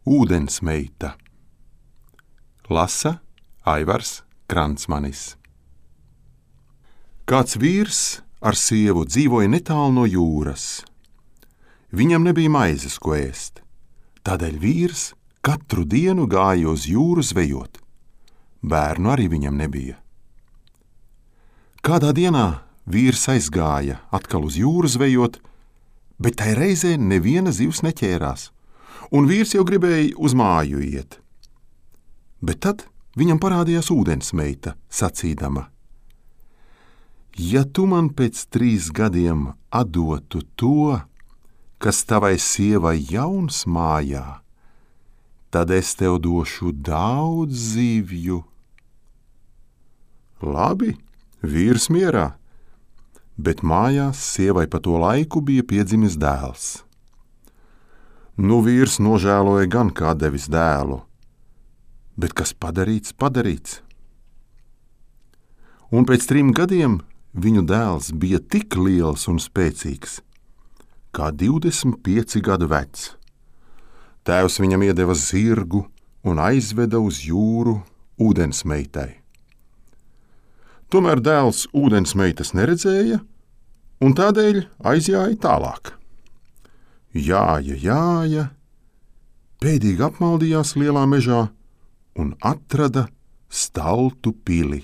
Ūdensmeita. Lasa Aivars Kransmanis. Kāds vīrs ar sievu dzīvoja netālu no jūras. Viņam nebija maizes, ko ēst. Tādēļ vīrs katru dienu gāja uz jūru zvejot. Bērnu arī viņam nebija. Kādā dienā vīrs aizgāja atkal uz jūru zvejot, bet tai reizē neviena zivs neķērās, un vīrs jau gribēja uz māju iet. Bet tad viņam parādījās ūdensmeita, sacīdama: Ja tu man pēc 3 gadiem atdotu to, kas tavai sievai jauns mājā, tad es tev došu daudz zivju. Labi, vīrs mierā, bet mājās sievai pa to laiku bija piedzimis dēls. Nu vīrs nožēloja gan kā devis dēlu, bet kas padarīts, padarīts. Un pēc 3 gadiem viņu dēls bija tik liels un spēcīgs, kā 25 gadu vecs. Tēvs viņam iedeva zirgu un aizveda uz jūru ūdensmeitai. Tomēr dēls ūdensmeitas neredzēja, un tādēļ aizjāja tālāk. Jāja, pēdīgi apmaldījās lielā mežā un atrada Staltu pili.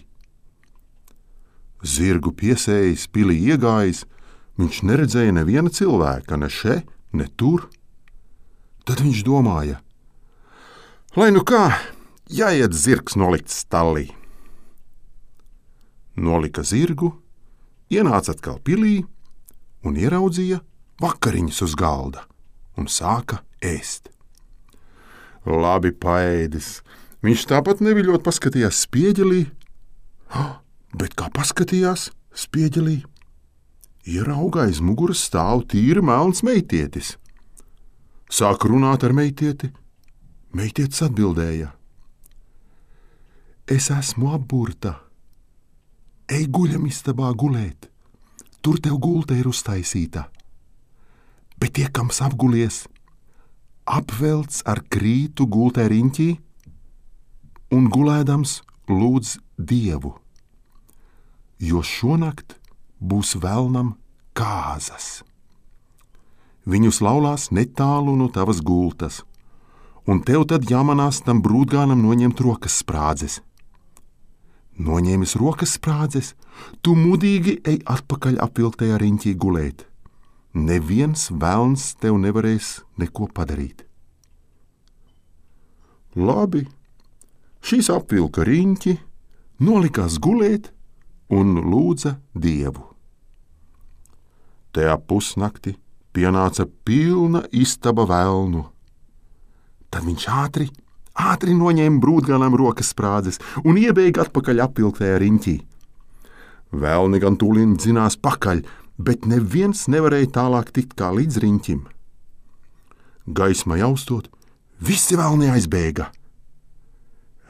Zirgu piesējis, pilī iegājis, viņš neredzēja neviena cilvēka, ne še, ne tur. Tad viņš domāja: lai nu kā, jāiet zirgs nolikt stallī. Nolika zirgu, ienāca atkal pilī un ieraudzīja vakariņas uz galda un sāka ēst. Labi paēdis, viņš tāpat neviļot paskatījās spieģelī, bet kā paskatījās spieģelī, ierauga aiz muguras stāv tīri melns meitietis. Sāk runāt ar meitieti, meitietis atbildēja: Es esmu apburta. Ej guļamistabā gulēt, tur tev gulta ir uztaisīta. Bet tiekams apgulies, apvelc ar krītu gultē riņķī un gulēdams lūdz Dievu, jo šonakt būs velnam kāzas. Viņus laulās netālu no tavas gultas, un tev tad jāmanās tam brūtgānam noņemt rokas sprādzes. Noņēmis rokas sprādzes, tu mudīgi ej atpakaļ apvilktajā riņķī gulēt. Neviens velns tev nevarēs neko padarīt. Labi, šīs apvilka riņķi, nolikās gulēt un lūdza Dievu. Tajā pusnakti pienāca pilna istaba velnu. Tad viņš ātri noņēma brūtgānam rokas sprādzes un iebēga atpakaļ apvilktajā riņķī. Velni gan tūlīt dzinās pakaļ, bet neviens nevarēja tālāk tikt kā līdz riņķim. Gaisma jaustot, visi velni aizbēga.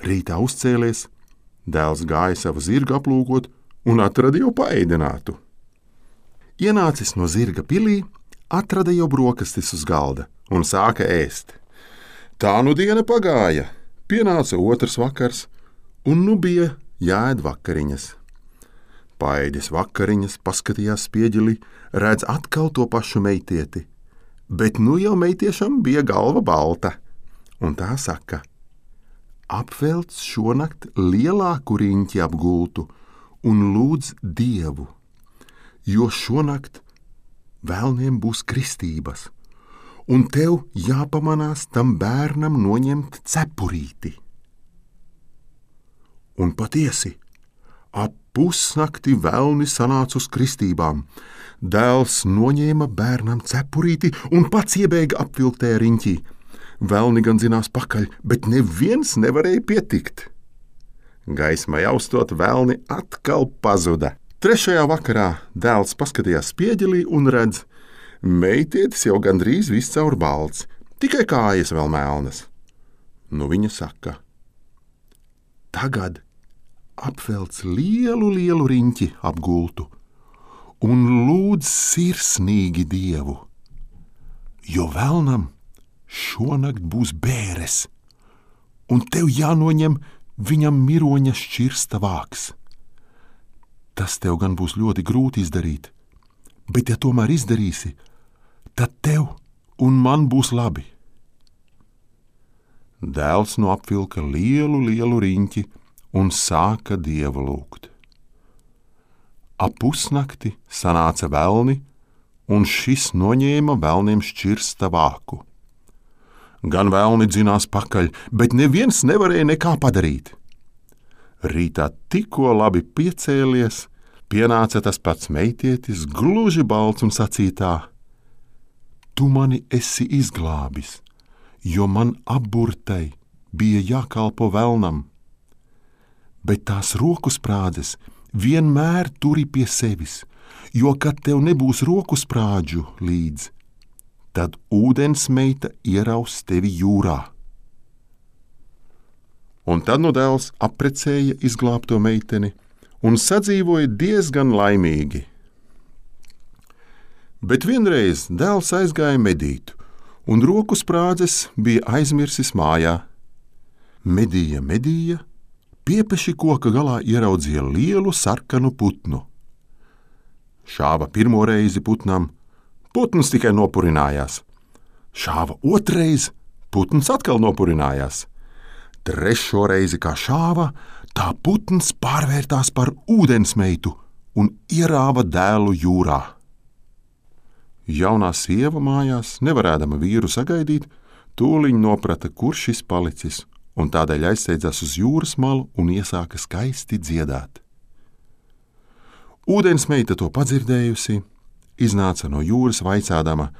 Rītā uzcēlies, dēls gāja savu zirgu aplūkot un atrada jau paēdinātu. Ienācis no zirga pilī, atrada jau brokastis uz galda un sāka ēst. Tā nu diena pagāja, pienāca otrs vakars, un nu bija jāēd vakariņas. Paēdis vakariņas, paskatījās spieģelī, redz atkal to pašu meitieti, bet nu jau meitiešam bija galva balta, un tā saka: apvelc šonakt lielāku riņķi ap gultu un lūdz Dievu, jo šonakt velniem būs kristības, un tev jāpamanās tam bērnam noņemt cepurīti. Un patiesi, ap pusnakti velni sanāca uz kristībām. Dēls noņēma bērnam cepurīti un pats iebēga apvilktējā riņķī. Velni gan zinās pakaļ, bet neviens nevarēja pietikt. Gaisma jaustot, velni atkal pazuda. 3. vakarā dēls paskatījās spieģelī un redz: meitietis jau gandrīz viss caur balts, tikai kājas vēl melnas. Nu viņa saka: tagad apvelc lielu riņķi ap gultu un lūdz sirsnīgi Dievu, jo velnam šonakt būs bēres, un tev jānoņem viņam miroņa šķirsta vāks. Tas tev gan būs ļoti grūti izdarīt, bet ja tomēr izdarīsi, tad tev un man būs labi. Dēls nu apvilka lielu riņķi un sāka Dievu lūgt. Ap pusnakti sanāca velni, un šis noņēma velniem šķirsta vāku. Gan velni dzinās pakaļ, bet neviens nevarēja nekā padarīt. Rītā tikko labi piecēlies, pienāca tas pats meitietis, gluži balts un sacītā: Tu mani esi izglābis, jo man apburtai bija jākalpo velnam. Bet tās roku sprādzes vienmēr turi pie sevis, jo, kad tev nebūs roku sprādžu līdz, tad ūdensmeita ieraus tevi jūrā. Un tad nu dēls apprecēja izglābto meiteni un sadzīvoja diezgan laimīgi. Bet vienreiz dēls aizgāja medīt, un roku sprādzes bija aizmirsis mājā. Medīja, piepeši koka galā ieraudzīja lielu sarkanu putnu. Šāva pirmo reizi putnam, putns tikai nopurinājās. Šāva otrais, putns atkal nopurinājās. Trešo reizi kā šāva, tā putns pārvērtās par ūdensmeitu un ierāva dēlu jūrā. Jaunā sieva mājās, nevarēdama vīru sagaidīt, tūliņ noprata, kur šis palicis, un tādēļ aizsteidzās uz jūras malu un iesāka skaisti dziedāt. Ūdensmeita to padzirdējusi, iznāca no jūras vaicādama: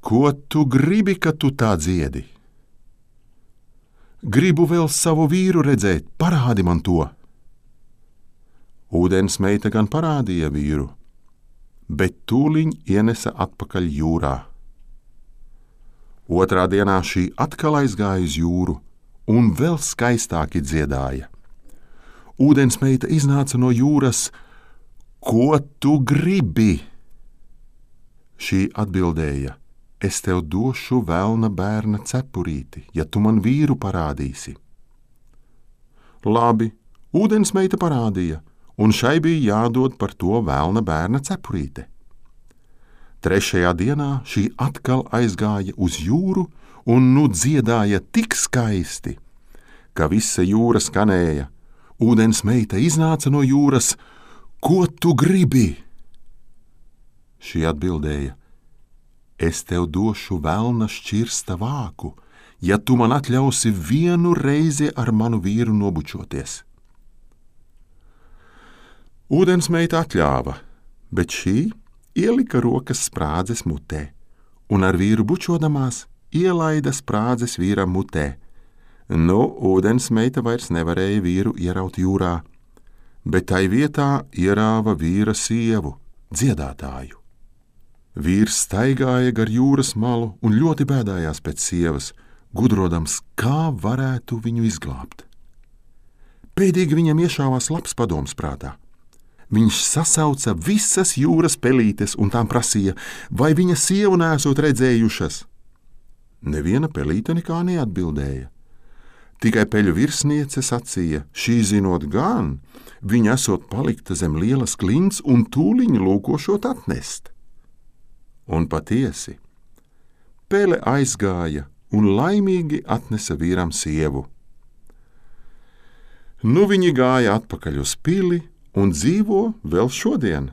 Ko tu gribi, ka tu tā dziedi? Gribu vēl savu vīru redzēt, parādi man to. Ūdensmeita gan parādīja vīru, bet tūliņ ienesa atpakaļ jūrā. Otrā dienā šī atkal aizgāja uz jūru un vēl skaistāki dziedāja. Ūdensmeita iznāca no jūras: Ko tu gribi? Šī atbildēja: Es tev došu velna bērna cepurīti, ja tu man vīru parādīsi. Labi, ūdensmeita parādīja, un šai bija jādod par to velna bērna cepurīte. Trešajā dienā šī atkal aizgāja uz jūru un nu dziedāja tik skaisti, ka visa jūra skanēja. Ūdensmeita iznāca no jūras: Ko tu gribi? Šī atbildēja: Es tev došu velna šķirsta vāku, ja tu man atļausi vienu reizi ar manu vīru nobučoties. Ūdensmeita atļāva, bet šī ielika rokas sprādzes mutē, un ar vīru bučodamās ielaida sprādzes vīram mutē. Nu, ūdensmeita vairs nevarēja vīru ieraut jūrā, bet tai vietā ierāva vīra sievu, dziedātāju. Vīrs staigāja gar jūras malu un ļoti bēdājās pēc sievas, gudrodams, kā varētu viņu izglābt. Pēdīgi viņam iešāvās labs padoms prātā. Viņš sasauca visas jūras pelītes un tām prasīja, vai viņa sievu neesot redzējušas. Neviena pelīte nekā neatbildēja. Tikai peļu virsniece sacīja: Šī zinot gan, viņa esot palikta zem lielas klints un tūliņ lūkošot atnest. Un patiesi, pele aizgāja un laimīgi atnesa vīram sievu. Nu viņi gāja atpakaļ uz pili un dzīvo vēl šodien,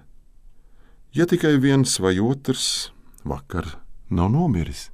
ja tikai viens vai otrs vakar nav nomiris.